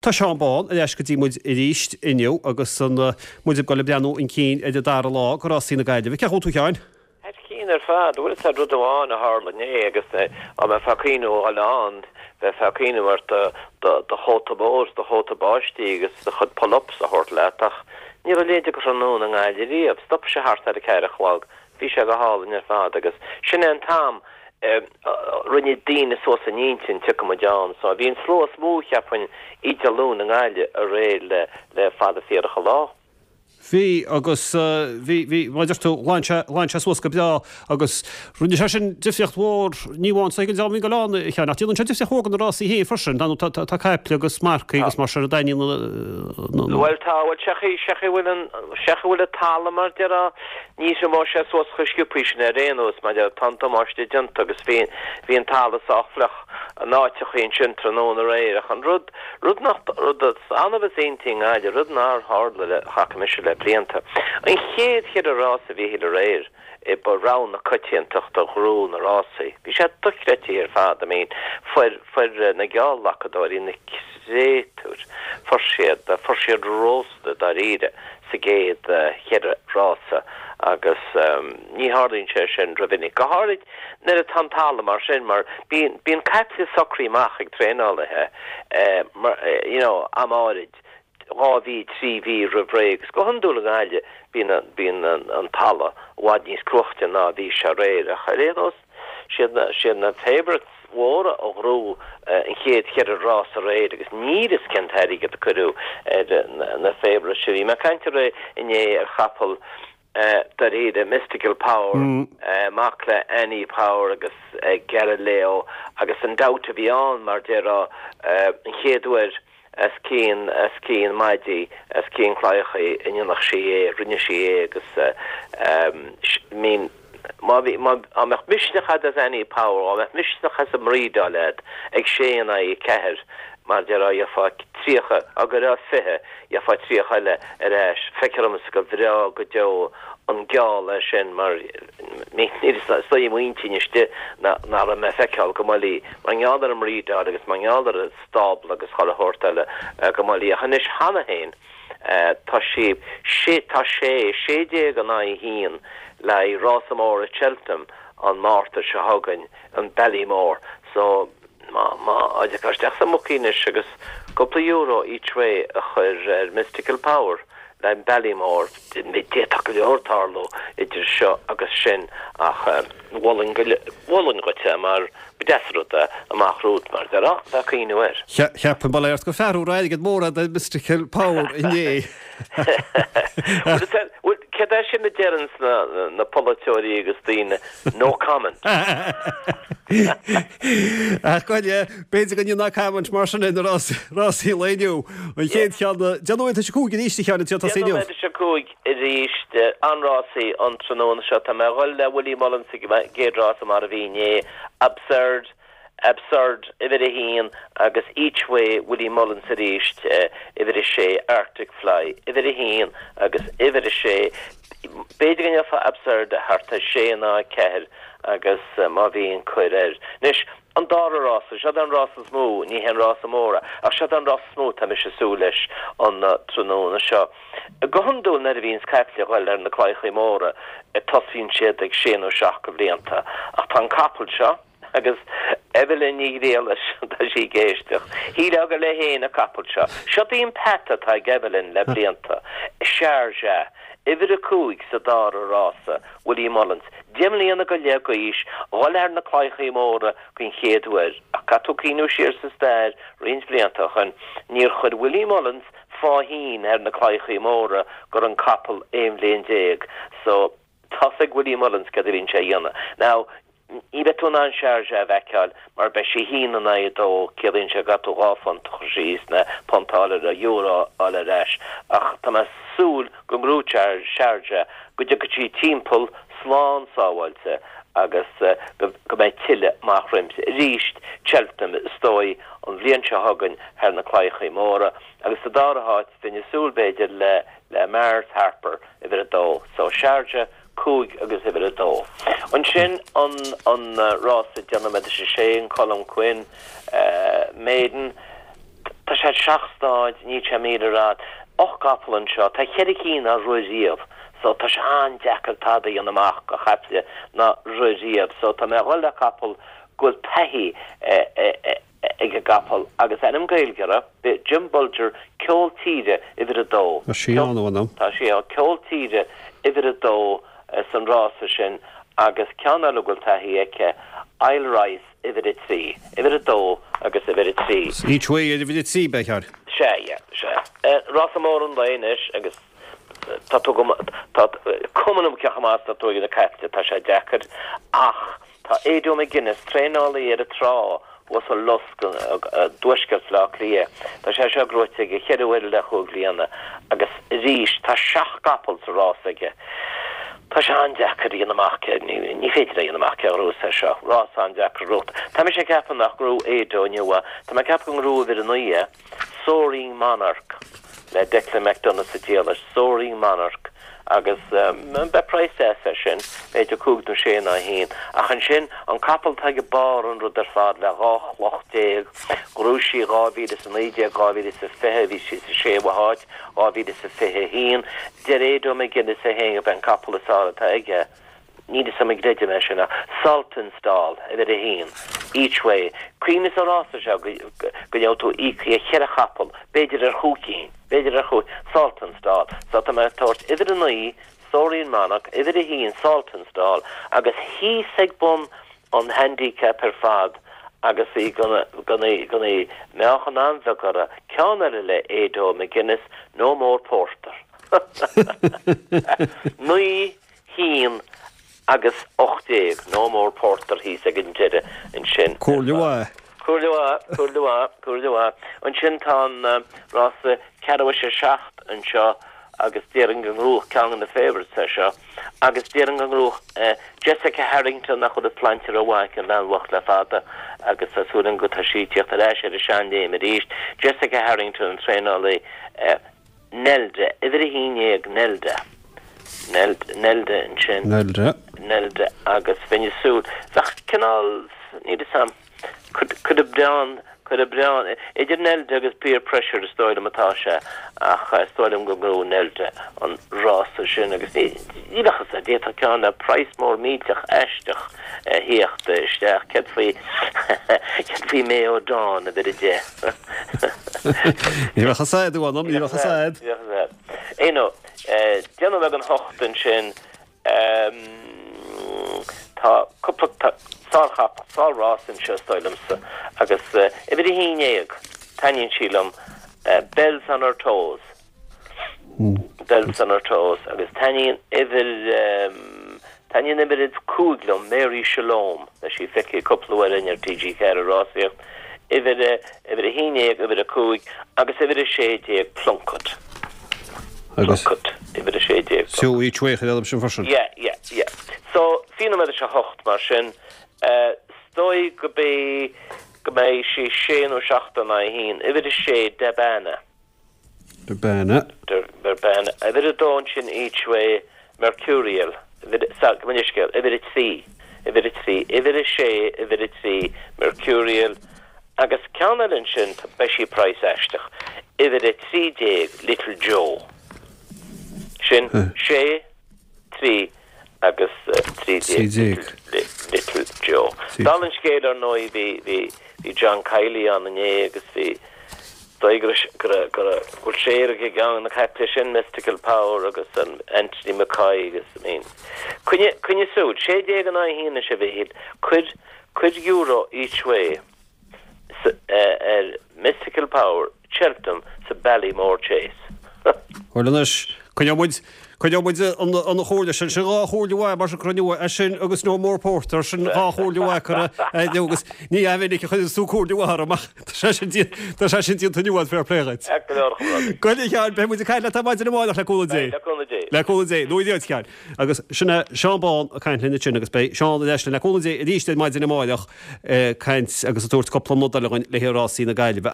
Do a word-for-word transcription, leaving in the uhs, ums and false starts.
Tá Seán Bán ar ais go dtí muid arís inniu agus an muid ag dul ag breathnú chun cinn ar an dara lá de rásaí na Gaillimhe. Cén chaoi a bhfuil tú a Sheáin? Thar cionn ar fad, bhuel is rud amháin a tharla inné agus dá mbeifeá ag cuimhniú a dhul ann, bheifeá ag cuimhniú ar do chóta mór, do chóta báistí agus do chuid pull-ups a thabhairt leat ach ní raibh a leithéid de thráthnóna i nGaillimh riamh. Stop sé thart ar a ceathair a chlog, bhí sé go hálainn ar fad agus sin é an t-am rinne daoine suas a n-intinn tiocfaidh muid ann. So bhí an slua is mó cheapfainn oíche Dé Luain i nGaillimh aréir le le fada fíorach an lá. Bhí agus bhí bhí mar a deir tú ghlan sé ghlan sé suas go breá agus rinne sé sin difríocht mhór ní amháin sa don dream a bhí ag dul ann a Sheáin ach déanann sé difríocht mhór do na rásaí féin freisin tá tá tá caiple agus marcaigh agus mar sin a dtaitníonn na Bhuel tá bhuel sé chaoi sé chaoi bhfuil an sé chaoi bhfuil an talamh mar déarfá ní thriomóidh sé suas chomh sciobtha sin ar aon nós mar tá an damáiste déanta agus bhí bhí an talamh sách fliuch in áiteachaí ansin tráthnóna aréir ach an rud rud nach rud is annamh is iontaí i nGaillimh rud nár tharla le chaca mise le blianta. An chéad cheithre rás a bhí aréir i ba rogha na coitiantachta a ghnóthaigh na rásaí. Bhí sé dochreidte ar fad I mean fuair fuair na geallghlacadóirí na créatúir fuair siad fuair siad rósta dáiríre sa gcéad cheithre rása agus um, ní tharlaíonn sé sin rómhinic. Go háirid nuair atá an talamh mar sin mar bíonn bíonn caiple socraithe amach ag traenálaithe eh, mar, eh, you know, am áirid dhá mhí trí mhí roimh ré agus go hiondúil i nGaillimh bíonn bíonn an, an talamh i bhfad níos cruaite ná bhí sé aréir ach ar aon nós siad na siad na favourites mhóra a ghnóthaigh an chéad cheithre rás aréir agus níl fhios cén t-airgead a cuireadh ar na, na favourites sin. Bhí mé ag caint aréir inné ar chapall uh, dáiríre Mystical Power mm. uh, mac le Annie Power agus uh, Galileo agus an doubt a bhí ann mar déarfá uh, an chéad uair as cín as cín maidí as cín claichaí in nach sí é rinne sí é agus uh, um, mean má bhí má dá mbeadh misneach as Annie Power dá mbeadh misneach as an mbreedáil ag sé in aghaidh ceathair mar déarfá gheofá tríocha agus ar fiche gheofá tríocha eile ar ais feictear domsa go bhreá go deo an geall é sin mar ní muintín iste ná me feiceáil go mallí mar gheall ar an mbreedáil agus mar gheall ar an stábla agus chuile shórt eile go mallí a chois cheana féin tá sé sé tá sé sé déag in aghaidh haon le rása mór i Cheltenham an Márta seo chugainn an Ballymore so má má isteach sa mbookie anois agus cúpla euro each way a chur ar Mystical Power le Ballymore d'fhéadfadh go leor tarlú idir seo agus sin ach mholfainn mholfainn dhuit mar b'deas rud amach romhat mar de bheith cuimhniú air. Cheap an baléirt go fearú airgead mór de Mystical Power inné. Cad é sin a deireann na, na polaiteoirí agus daoine no comment. Ach goile b'fhéidir go ná comment mar sin na rásaí lae inniu an chéad cheann déanú sé cúig arís cheann tá sé cúig arís an rásaí an tráthnóna seo tá mé ag dul le Willie Mullins gcéad rás mar a bhí inné absurd absurd uimhir a haon agus each way Willie Mullins arís uimhir a sé Arctic Fly uimhir a haon agus uimhir a sé b'fhéidir go ngeofá absurd thart ar sé ná ceathair agus uh, má bhíonn cuir air. Anois an dara rás seo an rás is mó ní hen rás móra ach seo an rás mó tá mise ag súil leis an uh, tráthnóna seo. Go hiondúil nuair a bhíonn caiple ag dul ar na claíochaí móra tosaíonn siad ag sé nó seacht de bhlianta ach tá an capall seo agus Evelyn Ní Ghriallais tá sí ag éisteacht. Hí go le héana capall seo. Seo í an pet atá ag Evelyn le blianta. Sharjah, uimhir a cúig sa dara rása Willie Mullins. Deich mbliana go leith d'aois dul ar na claíochaí móra den chéad uair ach caithfidh tú cuimhniú siar sa stair roinnt blianta chun níor chuir Willie Mullins fáithín ar na claíochaí móra go raibh an capall aon bhliain déag so tá ag Willie Mullins cad a bhíonn sé a dhéanamh. Now ní bheidh tú in ann Sharjah a fheiceáil mar beidh sé haon in aghaidh a dó ciallaíonn sé go gcaithfidh tú dhá phunt a chur síos nó punt a fháil ar euro a fháil ar ais ach tá mé ag súil go ngnóthóidh Sharjah go dtiocfaidh sí timpeall slán sábháilte agus uh, go go mbeidh tuilleadh amach roimpi. Arís Cheltenham is dóigh an bhliain seo chugainn ar na claíochaí móra agus sa dara háit bheinn ag súil b'fhéidir le le Mars Harper uimhir a dó so Sharjah cúig agus uimhir a dó. Ansin an an uh, rás déanamh sé sé an Colm Quinn uh, Maiden Tá sé seacht náid, níl sé míle ar fhad. Ocht gcapall anseo, tá ceithre cinn nár rith riamh, so tá sé an-deacair tada a dhéanamh amach do chaiple nár rith riamh. So tá mé a dhul le capall go bhfuil taithí ag an gcapall agus ainm Gaeilge air, b'é Jim Bolger, Ceol Tíre uimhir a dó. Tá sí ann, a Tá sí ann, Ceol Tíre uimhir a dó san rása sin agus ceann eile go bhfuil taithí aici, Isle Rice uimhir a trí, uimhir a dó agus uimhir a trí. Each Way ar uimhir a trí, b'fhéidir. Sea, yeah, sea. Rása mór an lae anois agus tá tú go, tá cuma liom cé chomh maith is atá tú ag na caiple, tá sé deacair ach tá Ado McGuinness, traenálaí ar an trá thuas i Lusc i dtuaisceart Bhaile Átha Cliath, tá sé seo gnóite aige cheithre huaire le chúig bliana agus arís tá seacht gcapall sa rás aige. Tá sé an-deacair a dhéanamh amach cé, ní féidir a dhéanamh amach cé a ghnóthós é seo. Rás an-deacair a ghnóthú. Tá mise ag ceapadh nach ngnóthóidh Ado inniu é. Tá mé ag ceapadh go ngnóthóidh uimhir a naoi é, Soaring Monarch le Declan McDonogh sa diallait, Soaring Monarch, agus beidh praghas deas air sin, b'fhéidir cúig nó sé nó a haon. Ach ansin, an capall atá ag barr an rud ar fad le dhá chloch déag, ghnóthaigh sí dhá mhíle is a naoi déag, dhá mhíle is a fiche, bhí sí sa séú háit, dhá mhíle is a fiche a haon. Deir Ado McGuinness é féin gurb é an capall is fearr atá aige. Níl fhios a'm an gcreidim é sin ach Saltonstall, uimhir a haon, each way. Cuimhnigh sa rása seo go ngeobhaidh tú íoctha ar cheithre chapall, b'fhéidir ar chúig cinn, b'fhéidir ar chúig, Saltonstall. So tá mé ag tabhairt uimhir a naoi, Soaring Monarch, uimhir a haon, Saltonstall, agus thíos ag bun an handicap ar fad agus í gona gona meáchan an-bheag orthu, ceann eile le Ado McGuinness, No More Porter. Naoi, haon agus ocht déag, No More Porter thíos ag an deireadh ansin. Comhairle mhaith. Comhairle mhaith, comhairle mhaith, comhairle mhaith. Ansin tá an rása ceathrú théis a seacht anseo agus déarfainn go ngnóthódh ceann de na favourites é seo agus déarfainn go ngnóthódh Jessica Harrington nach bhfuil an tsláinte rómhaith aici an bhean bhocht le fada agus tá súil agam go tá sí ag tíocht ar ais ar an seanléim arís. Jessica Harrington an traenálaí Nelda, uimhir a haon déag, Nelda. Nelda ansin. Nelda. Nelda agus bheinn ag súil, bheadh cineál, níl fhios a'm, cuid oibreán, cuid oibreán, idir Nelda agus Peer Pressure is dóigh liom atá sé ach is dóigh liom go ngnóthóidh Nelda an rása sin agus ní, ní bheadh fhios a'd, d'fhéadfadh ceann le praghas mór millteach aisteach a theacht isteach, céard faoi, céard faoi Mayo Dawn uimhir a deich? Ní bheadh fhios a'd, a mh'anam, ní bheadh fhios a'd. Ní bheadh fhios a'd. Aon déanamh ag an hocht ansin, tá cúpla sárchapall, sár-rás anseo is dóigh liomsa, agus uimhir a haon déag, taitníonn sí liom, Bells on her toes. Bells on her toes agus taitníonn uimhir, taitníonn uimhir a cúig liom, Mary Shalom, tá sí feicthe cúpla uair againn ar T G ceathair ag rásaíocht, uimhir a, uimhir a haon déag, uimhir a cúig agus uimhir a sé déag, Plunkett. Agus? Plunkett, uimhir a sé déag. So each way chuir sin freisin? Yeah, yeah, yeah. So, fiche nóiméad théis a hocht mar sin, eh, is dóigh go mbeidh, go mbeidh sí sé nó seacht in aghaidh a haon, uimhir a sé, Debana. Debana. Debana. Uimhir a dó ansin each way, Mercurial. Uimhir, sa, go leithscéal, uimhir a trí, uimhir a trí, uimhir a sé, uimhir a trí, Mercurial. Agus ceann eile ansin, beidh sí praghas aisteach, uimhir a trí déag, Little Joe. Sin sé, trí agus trí déag, Little Joe. Dála an scéil, ar ndóigh, bhí, bhí, bhí John Kiely ann inné agus bhí, dóigh go raibh, go raibh, go raibh, go bhfuil sé ag gceann na caiple sin, Mystical Power agus an Anthony McCoy agus, I mean, coinnigh, coinnigh súil, sé déag in aghaidh a haon anois a Mhichíl, cuir, cuir euro each way ar Mystical Power, Cheltenham sa Ballymore Chase. Bhuel anois, coinneoidh muid, coinneoidh muid an, an chomhairle sin, sin dhá chomhairle mhaith mar sin cruinniú é sin agus No More Porter, sin dhá chomhairle mhaith curtha inniu agus ní minic a chuireann tú comhairle mhaith orm ach tá sé sin déanta, tá sé sin déanta inniu agat fair play dhuit. Ceart go leor a chomrádaí. Go a Sheáin, beidh muid ag caint leat ar maidin amárach le cúnamh Dé. Le cúnamh Dé. Le cúnamh Dé. Nó a Sheáin. Agus sin é Seán Bán ag caint linn ansin agus beidh Seán ar ais linn le cúnamh Dé arís ar maidin amárach ag caint agus ag tabhairt cúpla nod eile dhúinn le haghaidh rásaí na Gaillimhe.